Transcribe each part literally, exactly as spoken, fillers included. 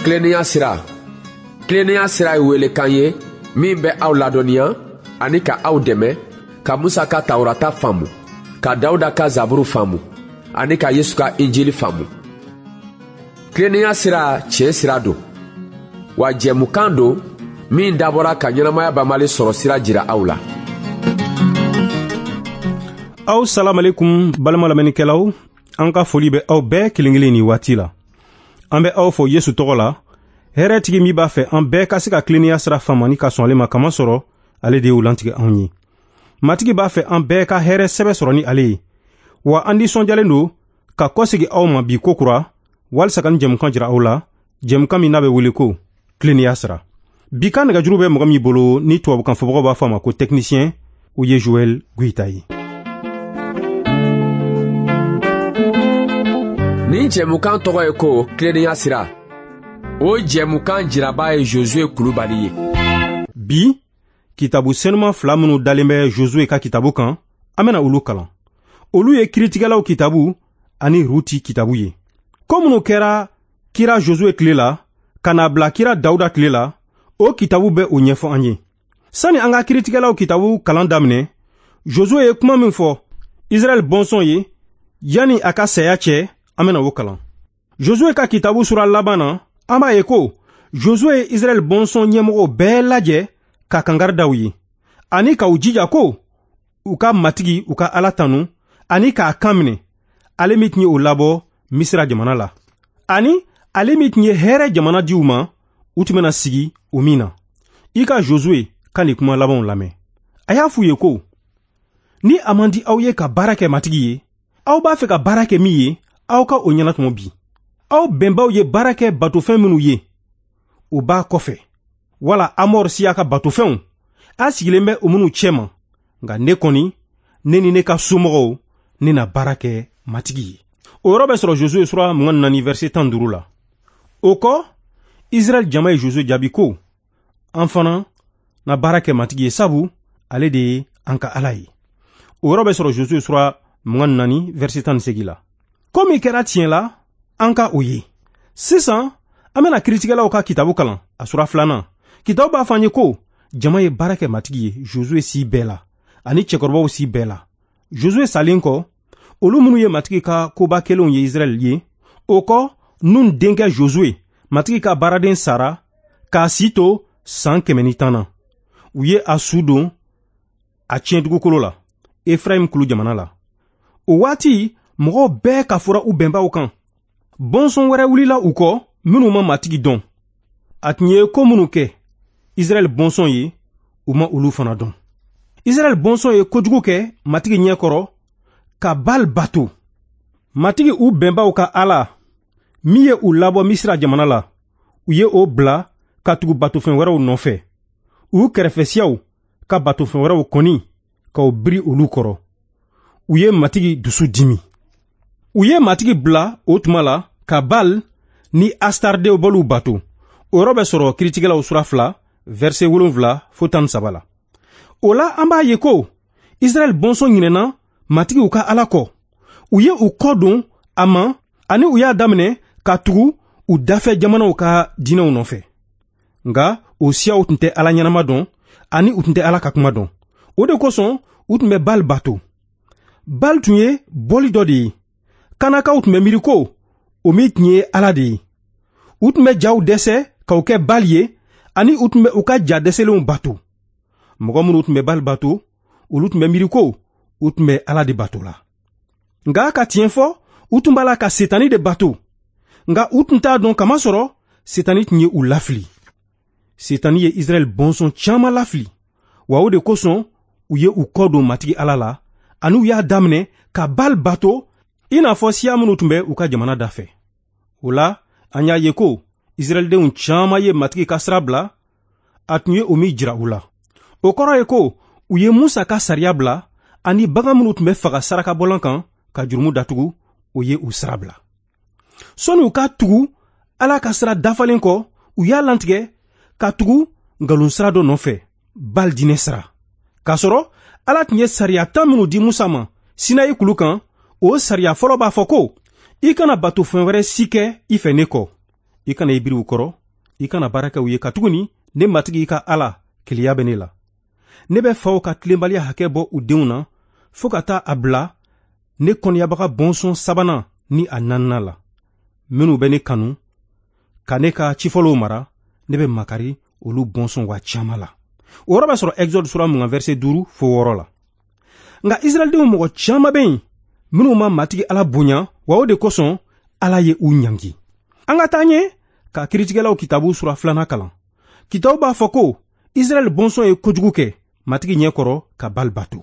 Tilennenya sira. Tilennenya sira ye welekan ye min bɛ aw ladɔnniya ani ka aw dɛmɛ ka Musa ka Tawurata faamu, ka Dawuda ka Zaburu faamu ani ka Yesu ka Injili faamu. Tilennenya sira tiɲɛ sira don, wa jɛmukan don min dabɔra ka ɲɛnamaya banbali sɔrɔ sira jira aw la. Aw salamalekum balima lamɛnnikɛlaw, an ka foli bɛ aw bɛɛ kelen kelen nin waati la. An bɛ aw fo Yesu tɔgɔ la, hɛrɛtigi min b'a fɛ an bɛɛ ka se ka tilennenya sira faamu ani ka sɔn ale ma, kamasɔrɔ ale de y'o lantigɛ anw ye. Matigi b'a fɛ an bɛɛ ka hɛrɛ sɛbɛ sɔrɔ ni ale ye. Wa an nisɔndiyalen don ka kɔsegin aw ma bi kokura walisa ka nin jɛmukan jira aw la, jɛmukan min n'a bɛ wele ko tilennenya sira. Bi ka nɛgɛjuru bɛ mɔgɔ min bolo ni tubabukan fɔbagaw b'a fɔ a ma ko technicien, o ye Joël Goïta ye. Nin jɛmukan tɔgɔ ye ko tilennenya sira. O jɛmukan jiraba ye Josué Kulubali ye. Bi kitabu senuman fila minnu dalen bɛ Josué ka kitabu kan, an bɛna olu kalan. Olu ye kiritigɛlaw kitabu ani Ruti kitabu ye. Ko minnu kɛra kira Josué tile la ka n'a bila kira Dawuda tile la, o kitabu bɛ o ɲɛfɔ an ye. Sani an ka kiritigɛlaw kitabu kalan daminɛ, Josué ye kuma min fɔ Israɛl bɔnsɔn ye yanni a ka saya cɛ, an bɛna o kalan. Josué ka kitabu sura laban na, an b'a ye ko Josué ye Israɛl bɔnsɔn ɲɛmɔgɔw bɛɛ lajɛ ka kangari da u ye, ani ka u jija ko u ka Matigi u ka Ala tanu ani k'a kan minɛ, ale min tun ye o labɔ Misira jamana la, ani ale min tun ye hɛrɛ jamana di u ma, u tun bɛna sigi o min na. I ka Josué ka nin kuma labanw lamɛn. A y'a f'u ye ko ni a man di aw ye ka baara kɛ Matigi ye, aw b'a fɛ ka baara kɛ min ye, aw ka o ɲɛnatɔmɔ bi. Aw bɛnbaw ye baara kɛ batofɛn minnu ye, o b'a kɔfɛ, wala Amɔr siya ka batofɛnw, a sigilen bɛ o minnu cɛma. Nka ne kɔni, ne ni ne ka somɔgɔw, ne na baara kɛ Matigi ye. O yɔrɔ bɛ sɔrɔ Josué sura mugan ni naani verset tan ni duuru la. O kɔ, Israɛl jama ye Josué jaabi ko an fana na baara kɛ Matigi ye, sabu ale de ye an ka Ala ye. O yɔrɔ bɛ sɔrɔ Josué sura mugan ni naani verset tan ni seegin la. Ko min kɛra tiɲɛ la, an ka o ye. Sisan, an bɛna kiritigɛlaw ka kitabu kalan, a sura filanan. Kitabu b'a fɔ an ye ko jama ye baara kɛ Matigi ye Josué si bɛɛ la, ani cɛkɔrɔbaw si bɛɛ la. Josué salen kɔ, olu minnu ye Matigi ka koba kɛlenw ye Israɛl ye, o kɔ Nun denkɛ Josué, Matigi ka baaraden sara k'a si to san kɛmɛ ni tan na. U ye a su don a tiɲɛ dugukolo la, Efrayim kulu jamana la. O waati, mɔgɔw bɛɛ ka fɔra u bɛnbaw kan. Bɔnsɔn wɛrɛ wulila u kɔ minnu ma Matigi dɔn. A tun ye ko minnu kɛ Israɛl bɔnsɔn ye, u ma olu fana dɔn. Israɛl bɔnsɔn ye kojugu kɛ Matigi ɲɛ kɔrɔ ka Baal bato. Matigi u bɛnbaw ka Ala min ye u labɔ Misira jamana la, u ye o bila ka tugu batofɛn wɛrɛw nɔfɛ. U kɛrɛfɛsiyaw ka batofɛn wɛrɛw kɔni k'u biri olu kɔrɔ. U ye Matigi dusu dimi. U ye Matigi bila o tuma la ka Baal ni Astardew boliw bato. O yɔrɔ bɛ sɔrɔ kiritigɛlaw sura fila verset wolonwula fo tan ni saba la. O la an b'a ye ko Israɛl bɔnsɔn ɲinɛna Matigi u ka Ala kɔ. U ye u kɔ don a ma ani u y'a daminɛ ka tugu u dafɛ jamanaw ka diinɛw nɔfɛ. Nka o siyaw tun tɛ Ala ɲɛnama dɔn ani u tun tɛ Ala ka kuma dɔn. O de kosɔn u tun bɛ Baal bato. Baal tun ye bɔli dɔ de ye. Kanakaw tun bɛ miiri ko o min tun ye Ala de ye. U tun bɛ jaw dɛsɛ k'o kɛ Baal ye, ani u tun bɛ u ka ja dɛsɛlenw bato. Mɔgɔ minnu tun bɛ Baal bato, olu tun bɛ miiri ko u tun bɛ Ala de bato la. Nka ka tiɲɛ fɔ, u tun b'a la ka Setani de bato. Nka u tun t'a dɔn, kamasɔrɔ Setani tun ye u lafili. Setani ye Israɛl bɔnsɔn caman lafili, wa o de kosɔn u ye u kɔ don Matigi Ala la, ani u y'a daminɛ ka Baal bato i n'a fɔ siya minnu tun bɛ u ka jamana dafɛ. O la, an y'a ye ko Israɛldenw caman ye Matigi ka sira bila, a tun ye o min jira u la. O kɔrɔ ye ko u ye Musa ka sariya bila, ani bagan minnu tun bɛ faga sarakabɔlan kan ka jurumu datugu, o ye u sira bila. Sɔnni u ka tugu Ala ka sira dafalen kɔ, u y'a lantigɛ ka tugu nkalon sira dɔ nɔfɛ, Baal diinɛ sira. K'a sɔrɔ Ala tun ye sariya tan minnu di Musa ma Sinayi kulu kan, o sariya fɔlɔ b'a fɔ ko i kana batofɛn wɛrɛ si kɛ i fɛ ne kɔ. I kana i biri u kɔrɔ, i kana baara kɛ u ye, katuguni ne Matigi i ka Ala keleya bɛ ne la. Ne bɛ faw ka tilenbaliya hakɛ bɔ u denw na fo ka taa a bila ne kɔniyabaga bɔnsɔn sabanan ni a naaninan la. Minnu bɛ ne kanu ka ne ka cifɔlɔw mara, ne bɛ makari olu bɔnsɔn wa caman la. O yɔrɔ bɛ sɔrɔ Exode sura mugan verset duuru fo wɔɔrɔ la. Nka Israɛldenw mɔgɔ caman bɛ yen minnu ma Matigi Ala bonya, wa o de kosɔn Ala ye u ɲangi. An ka taa ɲɛ ka kiritigɛlaw kitabu sura filanan kalan. Kitabu b'a fɔ ko Israɛl bɔnsɔn ye kojugu kɛ Matigi ɲɛ kɔrɔ ka Bali bato.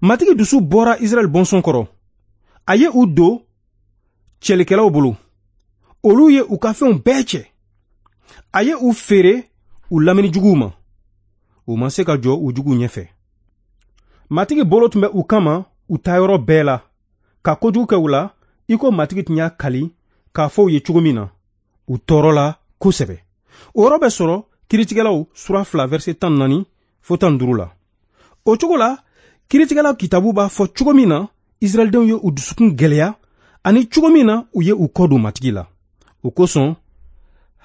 Matigi dusu bɔra Israɛl bɔnsɔn kɔrɔ. A ye u don cɛlikɛlaw bolo. Olu ye u ka fɛnw bɛɛ cɛ. A ye u feere u lamini juguw ma. U ma se ka jɔ u juguw ɲɛfɛ. Matigi bolo tun bɛ u kama u taayɔrɔ bɛɛ la, ka kojugu kɛ u la i ko Matigi tun y'a kali k'a fɔ u ye cogo min na. U tɔɔrɔla kosɛbɛ. O yɔrɔ bɛ sɔrɔ kiritigɛlaw sura fila verset tan naani fo tan duuru la. O cogo la, kiritigɛlaw kitabu b'a fɔ cogo min na Israɛldenw ye u dusukun gɛlɛya ani cogo min na u ye u kɔ don Matigi la. O kosɔn,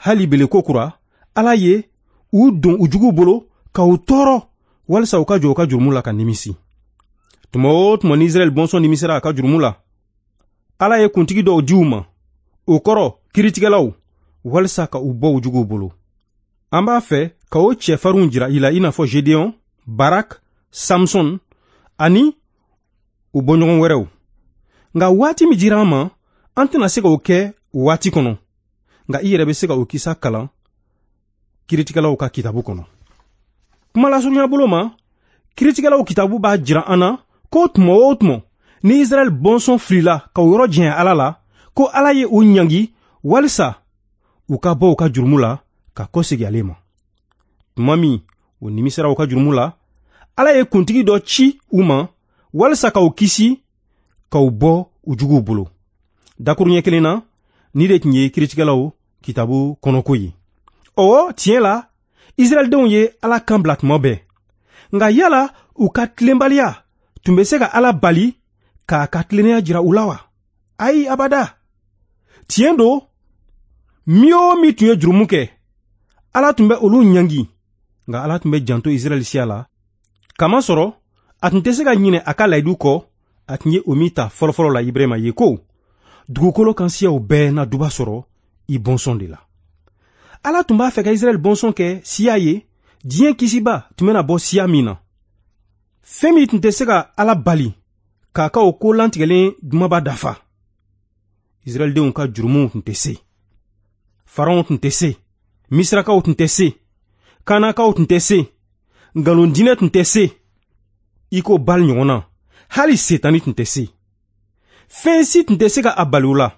hali bele ko kura, Ala ye u don u juguw bolo ka u tɔɔrɔ walisa u ka jɔ u ka jurumu la ka nimisi. Tuma o tuma ni Israɛl bɔnsɔn nimisira a ka jurumu la, Ala ye kuntigi dɔw di u ma, o kɔrɔ kiritigɛlaw, walisa ka u bɔ u juguw bolo. An b'a fɛ ka o cɛfarinw jira i la i n'a fɔ Gedeon, Barak, Samson ani u bɔɲɔgɔn wɛrɛw. Nka waati min dira an ma, an tɛna se k'o kɛ o waati kɔnɔ. Nka i yɛrɛ bɛ se ka o kisa kalan kiritigɛlaw ka kitabu kɔnɔ. Kuma lasurunya bolo ma, kiritigɛlaw kitabu b'a jira an na ko tuma o tuma ni Israɛl bɔnsɔn filila ka o yɔrɔ janya Ala la, ko Ala ye u ɲangi walisa u ka bɔ u ka jurumu la ka kɔsegin ale ma. Tuma min u nimisira u ka jurumu la, Ala ye kuntigi dɔ ci u ma walisa ka u kisi ka u bɔ u juguw bolo. Dakuruɲɛ kelen na, ni de tun ye kiritigɛlaw kitabu kɔnɔko ye. Ɔwɔ, tiɲɛ la, Israɛldenw ye Ala kan bila tuma bɛɛ. Nka yala u ka tilenbaliya tun bɛ se ka Ala bali k'a ka tilennenya jira u la wa? Ayi, abada. Tiɲɛ don, min o min tun ye jurumu kɛ, Ala tun bɛ olu ɲangi. Nka Ala tun bɛ janto Israɛl siya la, kamasɔrɔ a tun tɛ se ka ɲinɛ a ka layidu kɔ, a tun ye o min ta fɔlɔfɔlɔ la Ibrahima ye ko dugukolo kan siyaw bɛɛ na duba sɔrɔ i bɔnsɔn de la. Ala tun b'a fɛ ka Israɛl bɔnsɔn kɛ siya ye, diɲɛ kisiba tun bɛna bɔ siya min na. Fɛn min tun tɛ se ka Ala bali k'a ka o ko lantigɛlen dumaba dafa. Israɛldenw ka jurumuw tun tɛ se. Faraon tun tɛ se. Misirakaw tun tɛ se. Kanakaw tun tɛ se. Nkalondinɛ tun tɛ se. I ko Bali ɲɔgɔn na, hali Setani tun tɛ se. Fɛn si tun tɛ se ka a bali u la.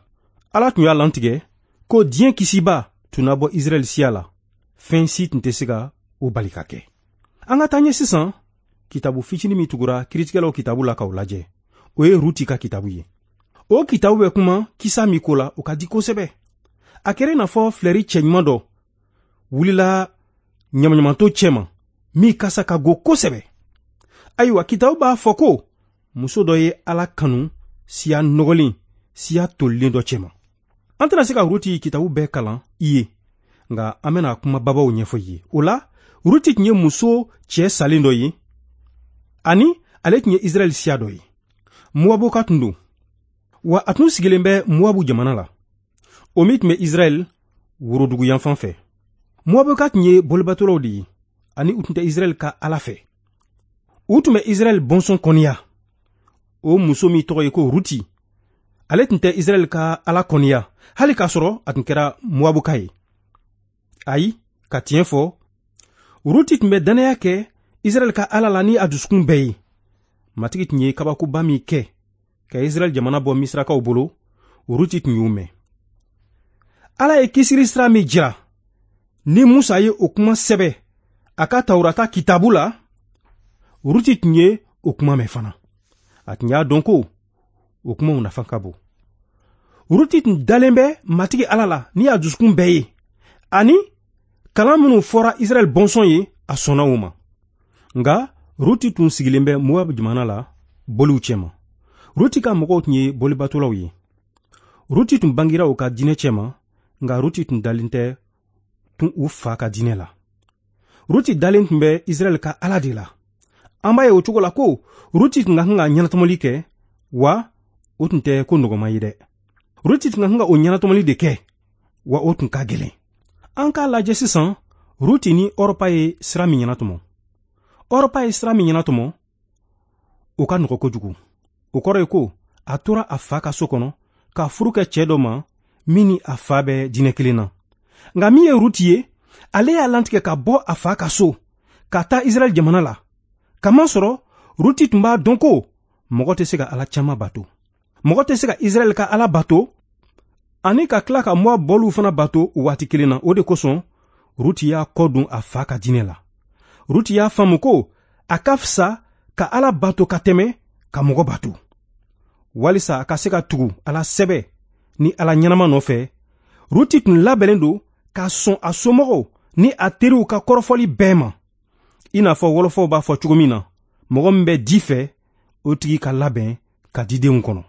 Ala tun y'a lantigɛ ko diɲɛ kisiba tun na bɔ Israɛl siya la. Fɛn si tun tɛ se ka o bali ka kɛ. An ka taa ɲɛ sisan kitabu fitinin min tugura kiritigɛlaw kitabu la k'o lajɛ. O ye Ruti ka kitabu ye. O kitabu bɛ kuma kisa min ko la, o ka di kosɛbɛ. A kɛra i n'a fɔ filɛri cɛɲuman dɔ wulila ɲamaɲamanto cɛma min kasa ka go kosɛbɛ. Ayiwa, kitabu b'a fɔ ko muso dɔ ye Ala kanu siya nɔgɔlen, siya tolilen dɔ cɛma. An tɛna se ka Ruti kitabu bɛɛ kalan i ye, nka an bɛna kuma babaw ɲɛfɔ i ye. O la, Ruti tun ye muso cɛ salen dɔ ye, ani ale tun ye Israɛl siya dɔ ye. Moabuka tun don, wa a tun sigilen bɛ Moabu jamana la, o min tun bɛ Israɛl worodugu yanfan fɛ. Moabuka tun ye bolibatolaw de ye, ani u tun tɛ Israɛl ka Ala fɛ. U tun bɛ Israɛl bɔnsɔn kɔniya. O muso min tɔgɔ ye ko Ruti, ale tun tɛ Israɛl ka Ala kɔniya, hali k'a sɔrɔ a tun kɛra Moabuka ye. Ayi, ka tiɲɛ fɔ, Ruti tun bɛ dannaya kɛ Israɛl ka Ala la ni a dusukun bɛɛ ye. Matigi tun ye kabakoba min kɛ ka Israɛl jamana bɔ Misirakaw bolo, Ruti tun y'o mɛn. Ala ye kisili sira min jira, ni Musa ye o kuma sɛbɛ a ka Tawurata kitabu la, Ruti tun ye o kuma mɛn fana. A tun y'a dɔn ko o kumaw nafa ka bon. Ruti tun dalen bɛ Matigi Ala la ni a dusukun bɛɛ ye, ani kalan minnu fɔra Israɛl bɔnsɔn ye, a sɔnna o ma. Nka Ruti tun sigilen bɛ Moab jamana la boliw cɛma. Ruti ka mɔgɔw tun ye bolibatolaw ye. Ruti tun bangira u ka diinɛ cɛma, Nka Ruti tun dalen tɛ tun u fa ka diinɛ la. Ruti dalen tun bɛ Israɛl ka Ala de la. An b'a ye o cogo la ko Ruti tun ka kan ka ɲɛnatɔmɔli kɛ, wa o tun tɛ ko nɔgɔman ye dɛ. Ruti tun ka kan ka o ɲɛnatɔmɔli de kɛ, wa o tun ka gɛlɛn. An k'a lajɛ sisan Ruti ni Ɔrɔpa ye sira min ɲɛnatɔmɔ. Ɔrɔpa ye sira min ɲɛnatɔmɔ, o ka nɔgɔ kojugu. O kɔrɔ ye ko a tora a fa ka so kɔnɔ ka furu kɛ cɛ dɔ ma min ni a fa bɛ diinɛ kelen na. Nka min ye Ruti ye, ale y'a lantigɛ ka bɔ a fa ka so ka taa Israɛl jamana la. Kamasɔrɔ Ruti tun b'a dɔn ko mɔgɔ tɛ se ka Ala caman bato. Mɔgɔ tɛ se ka Israɛl ka Ala bato ani ka tila ka Moab bɔliw fana bato o waati kelen na. O de kosɔn Ruti y'a kɔ don a fa ka diinɛ la. Ruti y'a faamu ko a ka fisa ka Ala bato ka tɛmɛ ka mɔgɔ bato, walisa a ka se ka tugu Ala sɛbɛ ni Ala ɲɛnama nɔfɛ. Ruti tun labɛnnen don ka sɔn a somɔgɔw ni a teriw ka kɔrɔfɔli bɛɛ ma. I n'a fɔ wɔlɔfɔw b'a fɔ cogo min na, mɔgɔ min bɛ di fɛ, o tigi ka labɛn ka didenw kɔnɔ.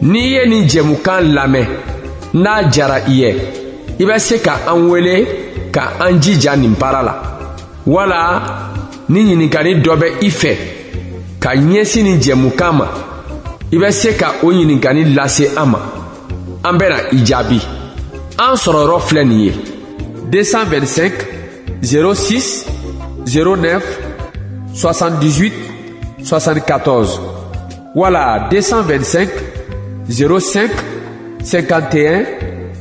N'i ye nin jɛmukan lamɛn, n'a jara i ye, i bɛ se ka an wele ka an jija nin baara la. Wala ni ɲininkali dɔ bɛ i fɛ ka ɲɛsin nin jɛmukan ma, i bɛ se ka o ɲininkali lase an ma. An bɛna i jaabi. An sɔrɔ yɔrɔ filɛ nin ye: deux cent vingt-cinq zéro six zéro neuf soixante-dix-huit soixante-quatorze wala deux cent vingt-cinq zéro cinq cinquante et un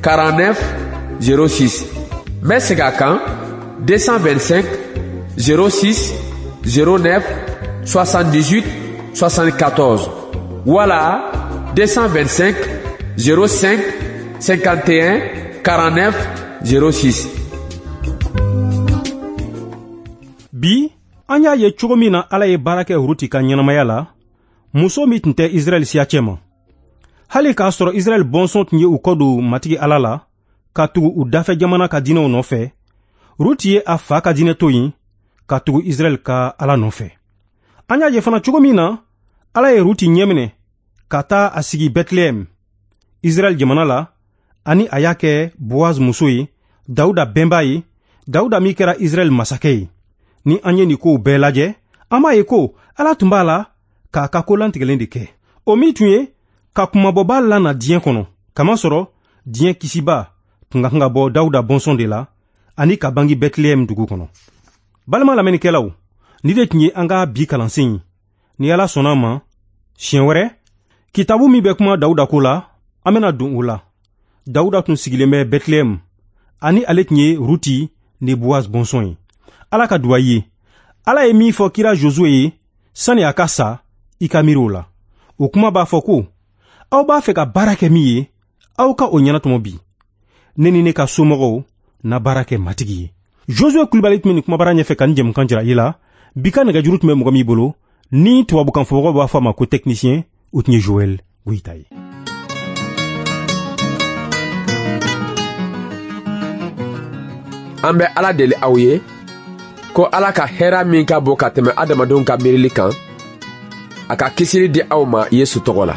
quarante-neuf zéro six. N bɛ segin a kan: deux cent vingt-cinq zéro six zéro neuf soixante-dix-huit soixante-quatorze wala deux cent vingt-cinq zéro cinq cinquante et un quarante-neuf zéro six. Bi an y'a ye cogo min na Ala ye baara kɛ Ruti ka ɲɛnamaya la, muso min tun tɛ Israɛl siya cɛ ma. Hali k'a sɔrɔ Israɛl bɔnsɔn tun ye u kɔ don Matigi Ala la ka tugu u dafɛ jamana ka diinɛw nɔfɛ, Ruti ye a fa ka diinɛ to yen ka tugu Israɛl ka Ala nɔfɛ. An y'a ye fana cogo min na Ala ye Ruti ɲɛminɛ ka taa a sigi Bɛtilɛhɛm, Israɛl jamana la, ani a y'a kɛ Boaz muso ye, Dawuda bɛnba ye, Dawuda min kɛra Israɛl masakɛ ye. Ni an ye nin kow bɛɛ lajɛ, an b'a ye ko Ala tun b'a la k'a ka ko lantigɛlen de kɛ. O min tun ye ka kumabɔba lana diɲɛ kɔnɔ, kamasɔrɔ diɲɛ kisiba tun ka kan ka bɔ Dawuda bɔnsɔn de la ani ka bange Bɛtilɛhɛm dugu kɔnɔ. Balima lamɛnnikɛlaw, ni de tun ye an ka bi kalansen ye. Ni Ala sɔnna a ma, siɲɛ wɛrɛ, kitabu min bɛ kuma Dawuda ko la, an bɛna don o la. Dawuda tun sigilen bɛ Bɛtilɛhɛm, ani ale tun ye Ruti ni Boaz bɔnsɔn ye. Ala ka duwa ye. Ala ye min fɔ kira Josue ye sani a ka sa, i ka miiri o la. O kuma b'a fɔ ko aw b'a fɛ ka baara kɛ min ye, aw ka o ɲɛnatɔmɔ bi. Ne ni ne ka somɔgɔw na baara kɛ Matigi ye. Josue Kulibali tun bɛ nin kumabara ɲɛfɛ ka nin jɛmukan jira i la. Bi ka nɛgɛjuru tun bɛ mɔgɔ min bolo, ni tubabukan fɔbagaw b'a fɔ a ma ko technicien, o tun ye Joël Goyita ye. An bɛ Ala deli aw ye ko Ala ka hɛrɛ min ka bon ka tɛmɛ adamadenw ka miirili kan, a ka kisili di aw ma Yesu tɔgɔ la.